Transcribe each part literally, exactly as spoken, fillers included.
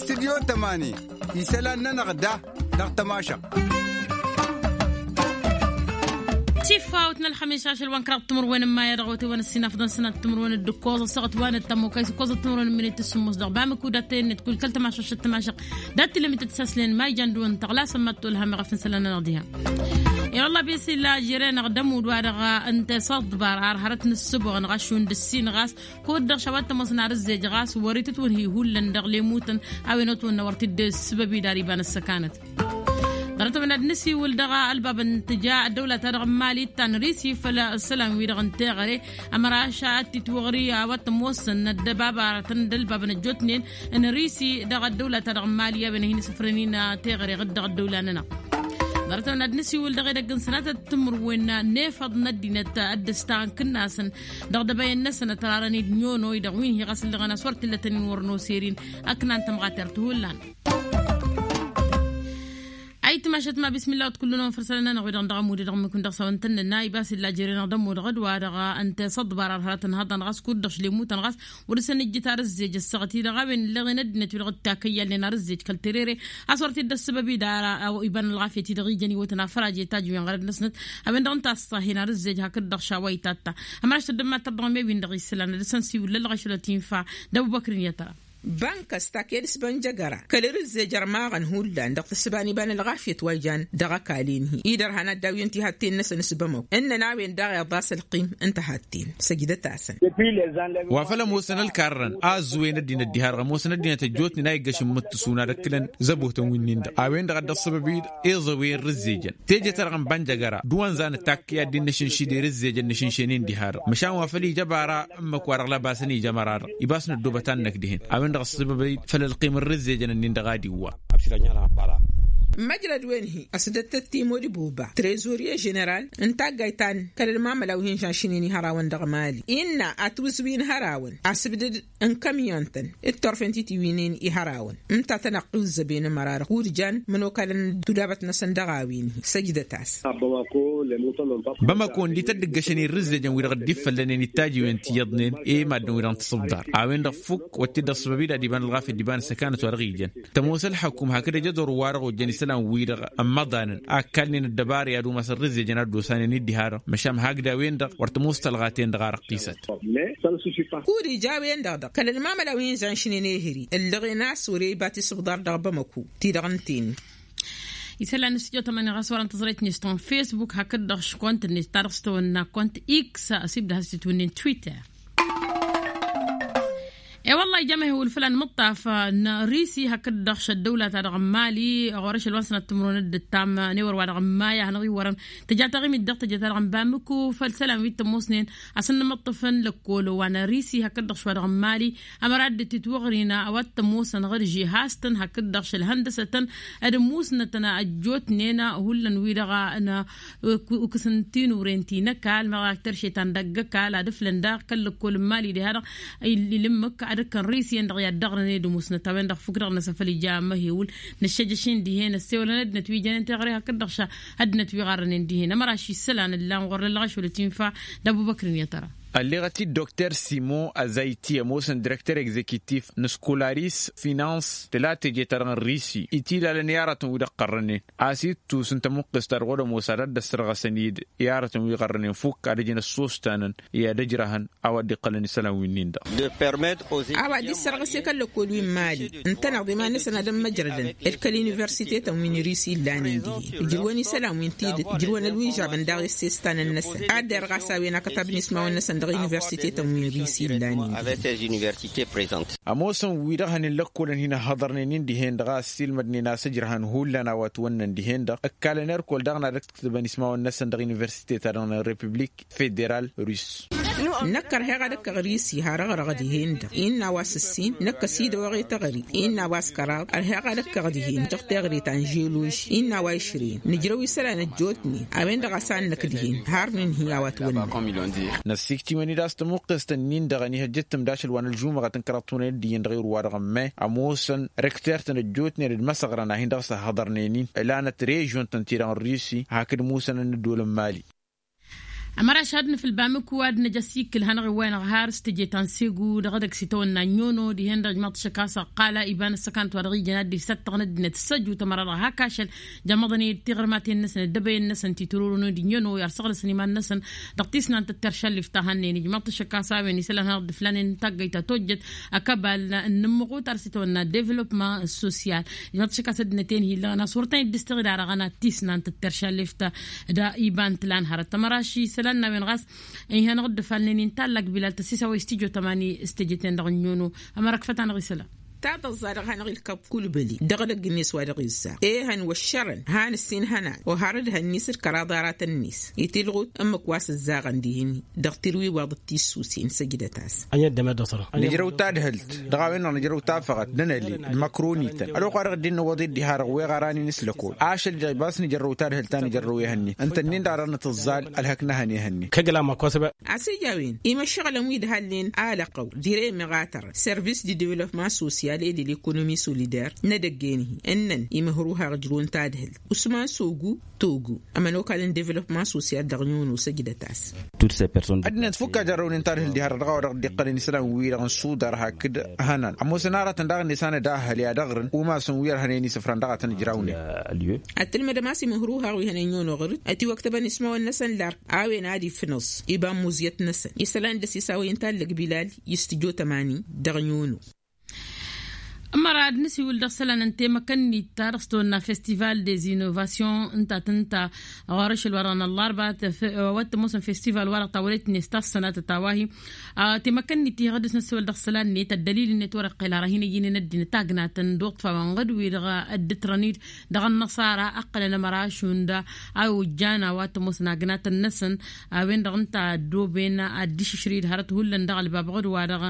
Studyo tămani isălan-nănăɣ da dăɣ-tămašăɣt. Tifawt n-ălxămiš ašăl wa n-kăraḍ timǝrwen n-maya dăɣ-otewăn ăssinafḍăn sănat timǝrwen d-ǝkkoẓ ăssaɣăt wa n-ăttămokay s-ǝkkoẓăt timǝrwen n-minit s-sǝmmos dăɣ-bamǝku d-attăyăn-net kull kăl-tămašăɣt d-tămašăɣt. Dat-tilămit d-saslen ma ijan d-wăn tăɣlasăn ma t-tolhăm iɣăf n-isălan-nănăɣ diha. I-wălla bisilla jere-năɣ d-ămudd wa-dăɣ ǝnta i-săḍbar ar hărăt n-ǝssǝboɣăn ɣas šund ǝssin ɣas kud-dăɣ šawa t-ămoosăn ar ǝzzej ɣas wăr-itǝtwǝnhi hullan dăɣ-lemutăn a-wen otwănna wăr t-dd-sǝbăbid ar iba n-ăssăkanăt. Ḍarăt-ăwăn ad-nǝsiwǝl dăɣ-ălbab n-tǝja ăddăwla-ta-dăɣ n-mali ta n-risi făll-isălan-wi-dăɣ n-teɣăre ămăraš ad-t-itwăɣri a-wa t-ămoosăn ăddăbabaratăn d-ălbab n-ăjjootnen n-risi dăɣ-ăddăwla-ta-dăɣ n-mali a-wen ad-hin-isǝfrănin teɣăre ɣǝd-dăɣ ăddăwla-nănăɣ. Ḍarăt-ăwăn ad-nǝsiwǝl dăɣ-edăgg n-sănatăt timǝrwen n-efăḍ n-ăddinăt ad-dd-ăstăɣăn kǝnnasăn dăɣ-dăbăyăn-năsăn ătrarăn-dd n-iono-i-dăɣ wi n-hi ɣas ǝllăɣăn a-s wăr t-illa tăn-in wăr n-oser-in. Ăknan tămɣatert hullan. Ayǝtmašăt ma bismilla wăt kull-nănăɣ făr isălan-nănăɣ wi-dăɣ dăɣ-ămud-i-dăɣ ǝmmǝk-in dăɣ-s a-wa n-tăn-nǝnna ibas illa jere-năɣ d-ămud ɣǝd-wa-dăɣ ǝnta i-săḍbar ar hărătăn hăḍăn ɣas kud-dăɣ šlemutăn ɣas wăr-dăɣ-săn ǝjjǝt ar ǝzzej ăssaɣăt-i-dăɣ a-wen ǝlleɣen ăddinăt wi-dăɣ dd-takăyyalnen ar ǝzzej kăl-terere a-s wăr t-dd-ăssăbăb-i d-ara iba n-ălɣafyăt-i-dăɣ ijăn iwwătăn afăraje tajǝwen ɣărăd-năsnăt. A-wen-dăɣ ǝnta a-s sahhen ar ǝzzej hakd-dăɣ šawa itatta. Ămăraš tăddămmat-tăr dăɣ-me-win-dăɣ isălan ad-dăr-săn siwǝllăl ɣašălăt infa. D-ăbubăkr-in i-tăra. Bank ăstaked s-bănjăgăra kăl-ărǝzzej ărmaɣăn hullan dăɣ-tǝssǝba n-iba n-ălɣafyăt wa ijan dăɣ-ăkall-in-hi idărhan ad-dd-awǝyăn tihatten-năsăn s-bămăw ǝnnăn a-wen daɣ iḍas ălqim n-tahatten. Săjdăt-asăn. Wa făl ămoosăn ălkarrăn a ăzzuwen ăddinăt diha-dăɣ ămoosăn ăddinăt ăjjootnen a iggăšăn mǝttǝsun ad-ăkkǝlăn zăbotăn wi-nin-dăɣ a-wen-dăɣ a dd-ăṣṣăbăb-dd iẓăwen rǝzzejăn teje-ta-dăɣ n-bănjăgăra d-uwăn zanăt takk i-ad-dd-innăšǝnšǝy d-erǝzzejăn n-ašǝnšen-in diha-dăɣ măšan wa făl ija bara ǝmmǝk-wa-dăɣ lăbasăn ija măra-dăɣ ibas năddobăt annăk dihen a-wen-dăɣ ăṣṣăbăb-dd făll-ălqim n-rǝzzejăn-nin-dăɣ ad-iwwa. Măjrăd-wen-hi ăsdăttăt timo d-boba trezorye ženeral n-taggayt ta n-kăl-ălmamăla wi hin-žănšǝnen ihărawăn dăɣ-mali innă atwǝzwin hărawăn asǝbdăd n-kămyon-tăn d-turfen titiwǝynen ihărawăn ǝnta a tăn-ăqqiwǝzzăben ămăra-dăɣ kud-jan mănokalăn d-tulabăt-năsăn dăɣ-a-wen-hi. Săjdăt-as. Bamăko ǝndităt d-ǝggăšăn irrǝzzejăn wi-dăɣ dd-iffăllănen ittajiwen ti iyyăḍnen i-maddǝn-wi-dăɣ n-tasǝbḍar a-wen-dăɣ fukk wăr t-dd-ăṣṣăbăb-dd ad-iba n-ălɣafyăt d-iba n-ăssăkanăt wa dăɣ-ijan. Tămoos ălxăkum hakd ăjădor-wa-dăɣ ojjăn isălan-wi-dăɣ ămmăḍanăn a ǝkkalnen ăddăbara i-ad-umasăn rǝzzejăn ad-dd-osanen-dd diha-dăɣ măšan hakd a-wen-dăɣ wăr tămoos tălɣa-ten-dăɣ a răqqisăt. Kud-ija a-wen-dăɣ dăɣ-kăl-ălmamăla wi n-žănšnen ehări ǝllăɣen a-s wăr-e iba tisǝbḍar dăɣ-bamăku ti-dăɣ ǝnta-en. Isălan n-studio tămani ɣas wărăn tăẓrăyt-net ta n-facebook hakd-dăɣ škunt-net ta dăɣ-s tawănna kunt x asib d-has-titwǝnnin twitter. E-wălla ija mehewǝl făll-anmǝṭṭaf n-risi hakd-dăɣ šăddăwla-ta-dăɣ n-mali ɣur-ašăl wa n-sănat timǝrwen d-ǝttam n-ewăr-wa-dăɣ n-maya a hanăɣ-iwwărăn tăja taɣimit dăɣ-tăjăt-ta-dăɣ n-bamǝku făll-isălan wi t-ămoosnen. Asǝnnǝmǝṭṭǝfăn lăkkol wa n-risi hakd-dăɣ šwa dăɣ-mali ămăra dd-titwăɣrin a-wa t-ămoosăn ɣăr-žihastăn hakd-dăɣ šălhăndăsătăn d-musnătăn ăjjootnen hullan wi-dăɣ n-ukǝs n-tinuren ti n-ăkall măɣ ak terše ta n-dăgg-ăkall ad-ǝflăn daɣ kăl-lăkkol n-mali diha-dăɣ. Ilǝmmǝk ad-ǝkkăn risi-en-dăɣ i-ad-dăɣrăn ed musnăt a-wen-dăɣ fukk-dăɣ n-asăfăl ija măhewǝl năššăjăš-in dihen ăssewălăn ăddinăt wi jănen teɣăre hakd-dăɣ ăddinăt wi ɣarrănen dihen ămăraš isălan ǝllan ɣur-lăllăɣ ašăl ătinfa. D-abubăkr-in i-tăra. Ălleɣăt-dd dokter simon azayti ămoosăn direkter egzekitif n-skolaris finans tǝla teje-ta-dăɣ n-risi itilalăn i-aratăn wi dăɣ-qărrănen a-s ittus n-tămuqqes-ta-dăɣ wăr-ămoos ad-dd-ăssărɣăsăn-dd i-aratăn wi ɣărrănen fukk ad-ǝjǝn ăssostanăn i-ad-ăjrăhăn a-wa dd-iqqălăn isălan wi-nin-dăɣ. A-wa dd-issărɣǝse kăl-lăkkol wi n-mali ǝntăneḍ iman-năsăn ad-ămmăjrădăn d-kăl-universitetăn wi n-risi illanen dihen ǝjrǝwăn isălan wi n-tidǝt ǝjrǝwăn ălwižabăn daɣ i-ǝssestanăn-năsăn ad-derɣas a-wen akătab n-ismawăn-năsăn dăɣ-universitetăn wi n-risi illanen dihen. Ămoosăn wi-dăɣ hănen lăkkolăn hin-ăhhăḍărnen-in dihen-dăɣ a ăssiilmădnen a-s ǝjrăhăn hullan a-wa ătwănnăn dihen-dăɣ ǝkkalăn erkol daɣ n-ad-ǝktǝbăn ismawăn-năsăn dăɣ-universitetăn dăɣ-republik federal russ. Năkk ărheɣ ad-ǝkkăɣ risi har ăɣrăɣ dihen-dăɣ innă a-wa s-ǝssin năkk ăsidăwăɣ i-teɣăre innă a-wa s-kăraḍ ărheɣ ad-ǝkkăɣ dihen dăɣ-teɣăre ta n-želož innă a-wa išrǝyăn nǝjrăw isălan ăjjootnen a-wen-dăɣ a-s ad-năkk dihen har nǝnhǝy a-wa ătwănnăn. Năssiiktiwăn-dd a-s tămuqqest-ǝnnin-dăɣ ănihăjjăt tǝmd ašăl wa n-ălžumăɣăt n-kăraḍ tunăyăt d-iyyăn dăɣ-iru-wa-dăɣ ămmay ămoosăn rektert-tăn ăjjootnen d-imăsăɣrăn a hin-dăɣ-s ăhhăḍărnen-in ǝlanăt režion-tăn-ti-dăɣ n-rusi hakd musănăn n-ăddool n-mali. Ămăraš ad-nǝfǝl bamǝku ad-năj ăsikkǝl hanăɣ-iwwăyăn ăɣhar s-teje ta n-segu dăɣ-edăgg s-itawănna n-yono dihen-dăɣ ijmaḍ-t ašăk a-s ăqqal iba n-ăssăkant wa dăɣ-ijăn ad-dd-ifsăttăɣ n-ăddinăt s-ăjut ămăra dăɣ-hak ašăl. Jămmăḍăn-dd tiɣrǝmaten-năsăn ăddăbăyăn-năsăn ti tururǝnăn d-inono i-ar săɣlăsăn iman-năsăn dăɣ-tisnant d-terša ǝllif ta hannăyăn ijmaḍ-t ašăk a-s a-wen isălan hanăɣ-dd-ǝflanen taggăyt ta tojjăt ăkăbal n-inǝmmăɣutar s-itawănna devălopma sosyal. Ijmaḍ-t ašăk a-s ăddinăt-en hi-illăɣăn a-s wăr tăn-dd-ǝstăɣ d-arăɣăn ad-tisnant d-terša ǝllif ta da iba n-tǝla n-hărăt ămăraš isălan n-a-wen ɣas. Iha-năɣ dd-ăfalnen inta allak bilal tăssisa wa istijot ămani s-teje-ten-dăɣ n-inono. Ămăra ǝkfăt-anăɣ isălan. Tadăẓẓa dăɣ-hanăɣ-ilkăb kulbăli dăɣ-edăgg-net wa dăɣ-izzaɣ ehăn wăššărăn han ǝssin hănan oharăd hăn-nis d-kăraḍ aratăn-nis itilɣut ǝmmǝk wa s-ǝzzaɣăn dihin-i. Dăɣ-tirwiwaḍ d-tissusen săjdăt-as. Nǝjrăw tadhǝlt dăɣ-a-wen-dăɣ nǝjrăw tafăɣăt d-anăli d-măkrunităn ălwăqq wa dăɣ-dd-innă wăḍi dd-iha-dăɣ weɣ ara n-inǝslăkol ašăl-i-dăɣ ibas nǝjărrăw tadhǝlt ta nǝjărrăw ehăn-net ǝntănnin-dăɣ a dăɣ-nǝtǝẓẓal. Ălhăk n-ehăn ehăn-net. Kăgg-ălama kosăbăy. A-s ija a-wen imăššăɣǝlăn wi dd-halnen alăqqăw dire meɣatărăn servis di devălopman sosyal e de l-ekonomi solider n-edăgg-en-hi ǝnnăn imăhruhăɣ ǝjrǝwăn tadhǝlt usman sogu togo ămănokal n-devălopman sosyal dăɣ-nyono săjdăt-as. Ăddinăt fukk a jărrăwnen tadhǝlt diha-dăɣ dăɣ-a-wa dăɣ-dd-iqqălăn isălan-wi-dăɣ n-sudar hakd hănan ămoosăn aratăn daɣ-net a nǝdahhăl i-ad-ăɣrǝn umasăn wi ărhănen isǝfran dăɣ-a tăn-ǝjrawnen. Ad-tǝlmădăm a-s imǝhruhaɣ wi hănen nyono ɣǝr-dd ătiwăktăbăn ismawăn-năsăn lark a-wen ad-ifnăẓ iba n-muẓyăt-năsăn isălan d-ăsisawăyăn tallăg bilal. Istǝjot ămani dăɣ-nyono. Ămăra ad-nǝsiwǝl dăɣ-isălan n-temăkănnit ta dăɣ-s tăwănna festival des innovations ǝnta tǝnta ɣur-ašăl wa-dăɣ n-ăllarba. Wa t-ămoosăn festival wa-dăɣ tawălet-net ta s-sănatăt a-wa-hi temăkănnit iha ɣǝddǝs n-ăssiwăl dăɣ-isălan-net ăddălil-net wăr-iqqel ara hin-ăjjǝynen ăddinăt agnatăn d-uṭṭfawăn ɣǝd-wi-dăɣ dd-ǝtrăn-dd dăɣ-ănnăṣara ǝqqălăn ămăra ašund a ojjan a-wa t-ămoosăn agnatăn-năsăn. A-wen-dăɣ ǝnta ăddooben ad-dd-išǝšrǝy d-hărăt hullan dăɣ-ălbab ɣǝd-wa-dăɣ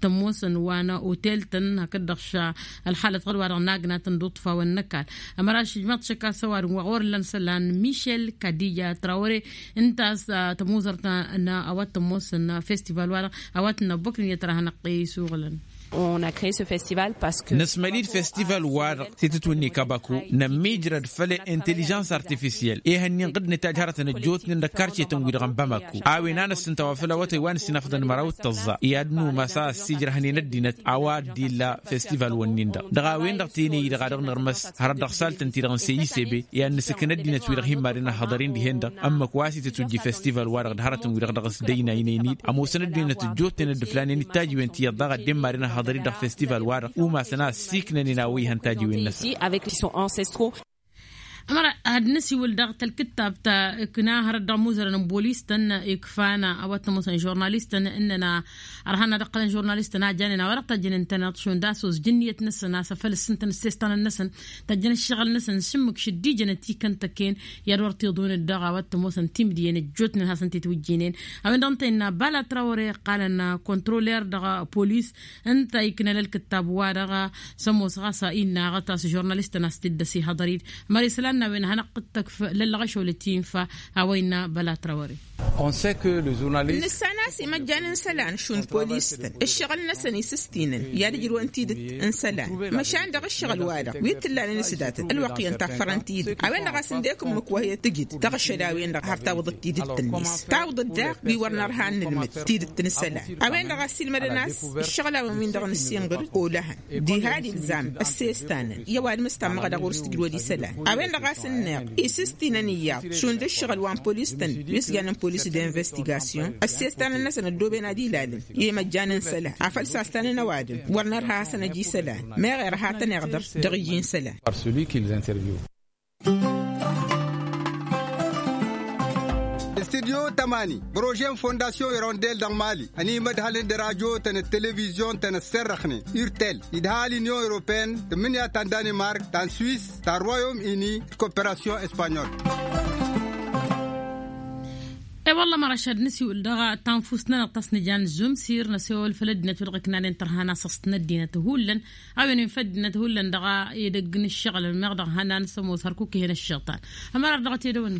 t-ămoosăn wa n-otel-tăn hakd-dăɣ š-ălxalăt ɣǝd-wa-dăɣ n-agnatăn d-uṭṭfawăn n-ăkall. Ămăra šǝjmaḍ šăkk a-s ăwadǝm wa ɣur-ǝllan isălan mišel kadija trawăre ǝnta a-s tămuzărt n-a-wa t-ămoosăn festival-wa-dăɣ a-wa t-năbbăknen i-ad-tăra hanăɣ-t isuɣǝlăn. Năsmăli-dd festival-wa-dăɣ titǝtwǝnni kabaku nămmiijrăd făll-inteližăns artifisyel ehăn-in ɣǝd-net a ǝjhărătăn ăjjootnen dăɣ-karcetăn-wi-dăɣ n-bamako a-wen a năssǝnta wa făll-awătay wa n-ǝssin afăḍăn măraw d-tăẓẓa i-ad-nǝwmas a ăssiijrăhnen ăddinăt a-wa dd-illa festival-wǝnnin-dăɣ dăɣ-a-wen-dăɣ tenăy-i-dăɣ a dăɣ-nărmăs hărăt dăɣ-saltăn-ti-dăɣ n-seyisebe i-ad-nǝsǝkǝn ăddinăt-wi-dăɣ hin-madăn ăhhăḍăr-in dihen-dăɣ. Ămmăk wa s-itǝtwǝjji festival-wa-dăɣ d-hărătăn-wi-dăɣ dăɣ-s dăynaynen-dd ămoosăn ăddinăt ăjjootnen ăddǝflanen ittajiwen ti iyyăḍ daɣ ăddin madăn ăhhăḍăr-i dăɣ-festival-wa-dăɣ umasăn a ăssiiknănen a-wa ihăn tajiwen-năsăn. Ămăra ad-năsiwǝl dăɣ-tălkǝttab ta ǝkna hărăt dăɣ-imuzărăn n-bolis-tăn ikfan a-wa t-ămoosăn žurnalist-tăn ǝnnăn a ărhan ad-ǝqqălăn žurnalist-tăn a janen a-wa dăɣ-tajjănen tăneḍ šund a-s ojǝn iyyăt-năsăn a-s afăl ǝssǝntăn ǝssestan-năsăn tajjăn ǝššăɣǝl-năsăn s-ǝmmǝk šăddijănăt ikăn tăkken i-ad-wăr t-iḍun dd-dăɣ a-wa t-ămoosăn timdǝyăn ăjjootnen hasăn-t-itwǝjjǝynen. A-wen-dăɣ ǝnta innă bala trawăre ǝqqalăn kontroler dăɣ-polis ǝnta iknăn ălkǝttab-wa-dăɣ s-ămoos ɣas innă aɣăt a-s žurnalist-tăn a-s t-dd-ăsihăḍăr-dd. Mări isălan n-a-wen hanăɣ-t-ǝttăkf lăllăɣ ašăwălăt infa a-wa innă bala trawăre. Nǝssan a-s imăjjan n-isălan šund polis-tăn ǝššăɣǝl-năsăn isǝstinăn i-ad-ǝjrǝwăn tidǝt n-isălan măšan dăɣ-ǝššăɣǝl-wa-dăɣ wi t-ǝllanen s-datăt ălwăqq iyyăn taffărăn tidǝt a-wen-dăɣ a-s ǝndek ǝmmǝk wa hi-tǝjǝd dăɣ-ašăl a-wen-dăɣ har tawǝḍăt tidǝt-net tawǝḍăt daɣ wi wăr nărha n-inǝlmǝd tidǝt n-isălan. A-wen-dăɣ a-s ilmădăn a-s ǝššăɣǝl-a-wen win-dăɣ nǝssinɣǝr olăhăn diha d-ilzam ăssestanăn i-ăwadǝm s-tammăɣ dăɣ-wăr s-tǝjrăwăd isălan. A-wen-dăɣ a-s ǝnneɣ isǝstinăn iyyăḍ šund ǝššăɣǝl wa n-polis-tăn wi s-jannen polis d-investigasyon ăssestanăn-năsăn ăddooben ad-ilalăn i-imăjjan n-isălan afăl sastanăn ăwadǝm wăr nărha a hasăn-ăj isălan. Meɣ irha tăn-iɣdăr dăɣ-iji n-isălan. Studyo tămani prože n-fondasyon irondel dăɣ-mali ănimădhălăn d-radyo-tăn d-televizyon-tăn ăssărrăxnen urtel idhal inyon europeen tǝmmǝnǝya ta n-danimark ta n-swis ta n-royom ini d-koperasyon espanyol. E-wălla măraš ad-nǝsiwǝl dăɣ-tanfust-nănăɣ ta s-nǝja n-zumsir năsewăl făll-ăddinăt wi dăɣ-iknanen tărha n-asăst n-ăddinăt hullan a-wen infa ăddinăt hullan dăɣ-edăgg n-ǝššăɣǝl meɣ dăɣ-ihănan s-ămoos hărkuk ih'-en ăššăɣtan. Ămăra dăɣ-t edăwăn.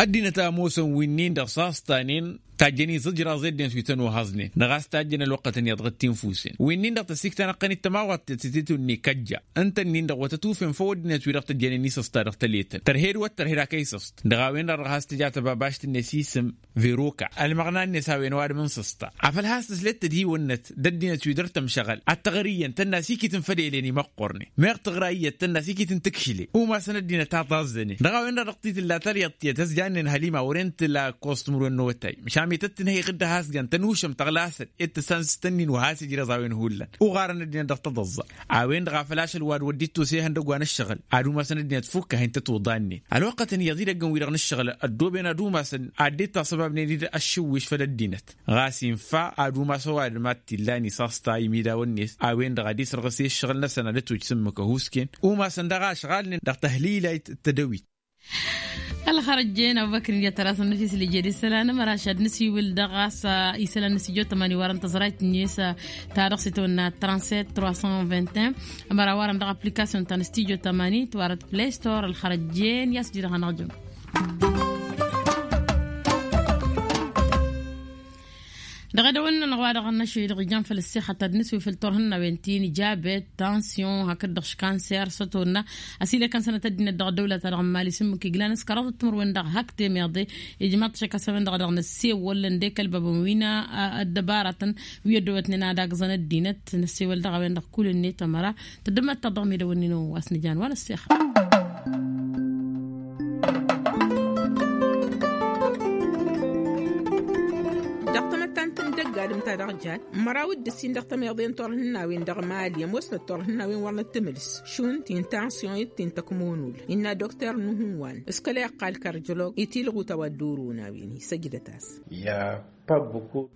Ăddinăt a ămoosăn winnin-dăɣ s-a ăstanen Tajjăn iẓǝjraẓ i-ăddinăt wi tăn-ohăẓnen dăɣ-a-s tajjăn ălwăqqătăn iyyăḍ dăɣ-tinfusen wi-nin-dăɣ tăsikta n-ăqqănit tămawat tetătitun n-ikăjja. Ǝnta-nin-dăɣ wa tătufem făw ăddinăt wi dăɣ-tăjjănen isăsta dăɣ-tăletăn tărhed wăr tărhed akăy isăst. Dăɣ-a-wen-dăɣ dăɣ-has tǝja tăbabašt-net isǝm veroka ălmăɣna-net a-wen ăwadǝm n-săsta. Afăl has-tǝslet tădiwănnăt d-ăddinăt wi dăr-tămšăɣăl ad-tăɣrǝyyăn tănna s-ikitǝn făll-elen imăqqornen meɣ tǝɣra iyyăt tănna s-ikitǝn tǝkšǝlen umasăn ăddinăt a taẓẓănen dăɣ-a-wen-dăɣ dăɣ-titǝlla talyaḍt tiyyăt ăsjannen hălima wăren tǝla kostum rwen-năwătay. Măšan mi tăt-tǝnhăyăɣ-dd ad-has-jan tănušăm tăɣlasăn i-tǝssan s-tăn-in wa has-ijrăẓ a-wen hullan uɣarăn ăddinăt dăɣ-tăḍăẓẓa. A-wen-dăɣ a făl ašăl wa d-wăr dd-ittus ihăndăg wa n-ǝššăɣǝl ad-umasăn ăddinăt fukk a hin-tăt-uḍannen ălwăqqătăn iyyăḍ idăggăn-wi-dăɣ n-ǝššăɣǝl ăddooben ad-umasăn ad-dd-tasăbabnen-dd ăššǝwwiš făll-ăddinăt. Ɣas infa ad-umas ăwadǝm ad-t-illan isaṣta imidaw-net a-wen-dăɣ ad-isărɣǝs i-ǝššăɣǝl-năsăn ad-ătwăj s-ǝmmǝk ăhuusken umasăn daɣ ašɣalnen dăɣ-tăhlilay. Tădăwit. Ălxărăjjen abubăkr n-ija tăra-s ănnăfis lǝjed isălan ămăraš ad-nǝsiwǝl dăɣ-a-s isălan n-studio tămani warăn tăẓrayt-net ta dăɣ-s itawănna trant-sept trois cent vingt et un. Ămăra warăn dăɣ-application ta n-studio tămani tiwarăt play store ălxărăjjen i-a-s dd-hanăɣ-jăm. Dăɣ-edăwănna n-ɣwadăɣ n-ašăl dăɣ-ijan făll-ăssixăt ad-nǝswi făll-turhǝnnawen ti n-jabet tansyon hakd-dăɣ š-kanser s-ătwănna. Ăsilăkăn sănăt ăddinăt dăɣ-ăddăwla-ta-dăɣ n-mali s-ǝmmǝk iglan s-kăraḍăt timǝrwen dăɣ-hak temeḍe. Ijmaḍ-t šăkasămăn-dăɣ dăɣ-năssewălăn d-ekălbăbăn wi n-ăddăbaratăn wi ăddăwătnen ad-agǝẓăn ăddinăt. Năssewăl dăɣ-a-wen-dăɣ kull-net ămăra tăddămăt-taḍ dăɣ-medăwănnin wa s-nǝjan wa n-ăssixăt. Dăɣ-tamăttant n-dăgg-adǝm ta dăɣ-jat măraw d-ǝssin dăɣ-tămeḍe n-turhǝnnawen dăɣ-mali ămoosnăt turhǝnnawen wăr nǝttǝmǝls šund ti n-tansyon d-ti n-tăkmonul. Innă dokter nuhǝnwan s-kăla iqqal karjălog itilɣu tawădduron a-wen-hi săjdăt-as.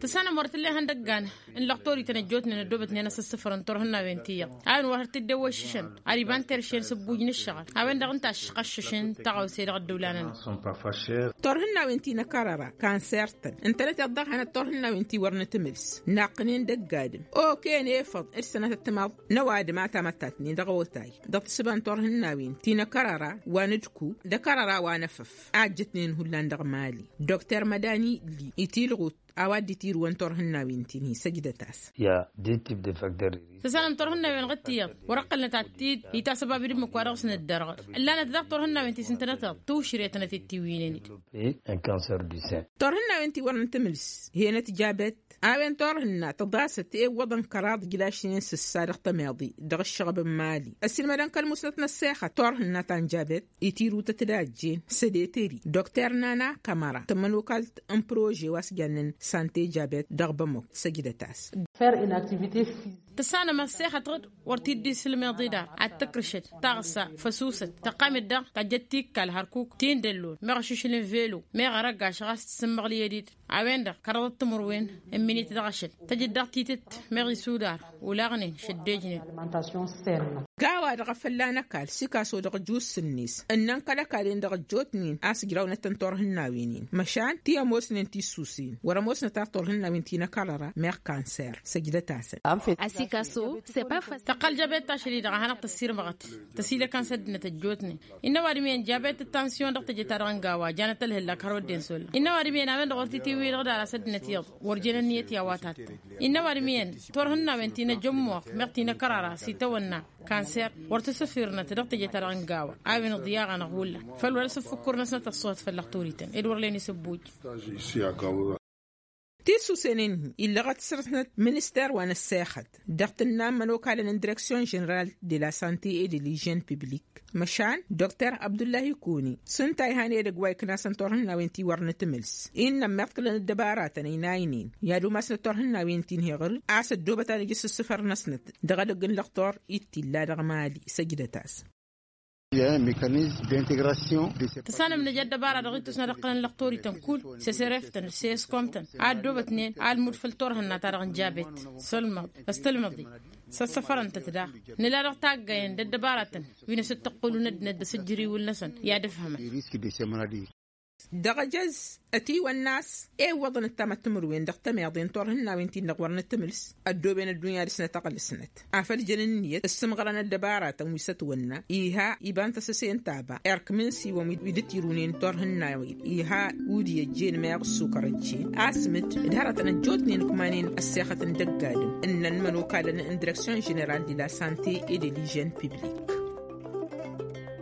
Tǝssanăm wăr t-tǝll'-e ihăndăggan n-lăqtor-ităn ăjjootnen ăddoobătnen asǝssǝfăr n-turhǝnnawen ti iyyăḍ a-wen wa hăr t-dd-ewăššǝšăn ad-iba n-terše n-sǝbbuj n-ǝššăɣăl. A-wen-dăɣ ǝnta a ǝššăɣššǝšăn tăɣawse dăɣ-ăddăwla-nănăɣ. Turhǝnnawen ti n-akărăra kanser-tăn ǝntănăteḍ daɣ hanăt-turhǝnnawen ti wăr nǝtǝmǝls naqqǝnen dăgg-adǝm. Okăyăn efăḍ d-sănătăt timaḍ n-ăwadǝm a tamăttatnen dăɣ-awătay dăɣ-tǝssǝba n-turhǝnnawen ti n-akărăra wa n-ǝdku d-akărăra wa n-efăf a ăjjătnen hullan dăɣ-mali. Dokter mădani li itilɣut a-wa dd-itirǝwăn turhǝnnawen-tin-hi săjdăt-as. Tǝssanăm turhǝnnawen ɣǝt tiyyăḍ wăr-ăqqălnăt ad-t-dd-itasăbab d-ǝmmǝk wa dăɣ-s nǝddărɣăl. Ǝllanăt daɣ turhǝnnawen ti s-ǝntănăteḍ tǝwšǝre tănăt-dd-tiwǝynen-dd. Turhǝnnawen ti wăr nǝtǝmǝls henăt jabet. A-wen turhǝnna tăḍasăt i-iwwăḍăn kăraḍ ǝjlašnen s-ǝssa dăɣ-tămeḍe dăɣ-ǝššăɣăb n-mali ăssiilmădăn kăl-musnăt n-ăssexăt turhǝnna ta n-jabet. Itirǝw-tăt d-ajjen sădetări dokter nana kămăra tămănokalt n-prože wa s-jannen sante jabet dăɣ-bămăk. Săjdăt-as. Tǝssanăm ăssexăt ɣǝd wăr t-dd-isǝlmeḍ idar ad-tǝkrǝšăd taɣǝssa făsusăt tăqqam-dd daɣ tajjăt tikkal hărkuk ti n-dăllon meɣ ašǝšǝl n-velo meɣ arăggaš ɣas tǝssǝmmăɣlǝyăd-dd. A-wen-dăɣ kăraḍăt timǝrwen n-minit dăɣ-ašăl tăjǝd daɣ titǝt meɣ isudar ulaɣnen šăddejnen. Ga-wa-dăɣ a fălla n-ăkall sikaso dăɣ-ăjus-net ǝnnăn kăl-ăkall-en dăɣ-ăjjootnen a-s ǝjrawnăt tăn-turhǝnnawen-in măšan ti ămoosnen tissusen wăr-ămoosnăt ad-turhǝnnawen ti n-ăkall ăra meɣ kanser. Săjdăt-asăn. Asikaso. Tăqqal jabet tašăl-i-dăɣ a hanăɣ-tăssirmăɣăt tăsilăkăn s-ăddinăt ăjjootnen. Innă ăwadǝm iyyăn jabet d-tansyon dăɣ-teje-ta-dăɣ n-gawa janăt ălhǝllak hărwa dd-insollăn innă ăwadǝm iyyăn a-wen-dăɣ wăr t-itiwǝy dăɣ-dd-ara s-ăddinăt iyyăḍ wăr jen ănniyăt i-a-wa tattăn. Innă ăwadǝm iyyăn turhǝnnawen ti n-ajămmuɣ meɣ ti n-akărara s-itawănna kanser wăr t-sǝfirnăt dăɣ-teje-ta-dăɣ n-gawa. A-wen iḍyaɣ-anăɣ hullan făl wăla s-ǝffǝkkur-năsnăt ăṣṣuhăt făll-lăxturităn ed wăr len isǝbbuj. Tisusen-in-hi illăɣăt săr-snăt minister wa n-ăssexăt dăɣ-tǝnna n-imănokalăn n-direksyon ženeral de la sante et de lijen publik. Măšan dokter abdullahi kuni s-ǝnta a ihan edăgg wa iknasăn turhǝnnawen ti wăr nǝtǝmǝls innă ămmiḍkǝlăn ăddăbaratăn ăynaynen i-ad-umasnăt turhǝnnawen ti n-heɣǝr a-s ăddoobăt ad-ija s-ǝssǝfăr-năsnăt dăɣ-edăgg n-lăxtor i t-illa dăɣ-mali. Săjdăt-as. Tǝssanăm nǝja ăddăbara dăɣ-ittus n-ad-ǝqqǝlăn lăxtor-ităn kull s-esereftăn s-eskomtăn a ăddoobătnen almud făll-turhǝnna-ta-dăɣ n-jabet s-ălmăḍ s-tălmăḍe. S-ăssăfărăn-tăt daɣ nǝla dăɣ-taggayen d-ăddăbaratăn wi n-asǝttăqqǝlun ăddinăt d-asǝjjăriwǝl-năsăn i-ad-ǝfhămăn. Dăɣ-ejăz ătiwănna a-s ewwăḍăn ăttamăt timǝrwen dăɣ-tămeḍe n-turhǝnnawen-tin-dăɣ wăr nǝtǝmǝls ăddooben ăddunya dăɣ-snăt ăɣlǝsnăt afăl jăn ǝnniyăt ǝssǝmɣărăn ăddăbaratăn wi s-ătwănna iha iba n-tasăse n-taba erk mǝnsiwăn wi dd-tirunen turhǝnnawen iha. Udǝy ăjjeen meɣ ǝssukăr ăjjeen asmǝd d-hărătăn ăjjootnen ǝkmanen ăssexăt n-dăgg-adǝm ǝnnăn imănokalăn n-direksyon ženeral de la sante e de lijen piblik.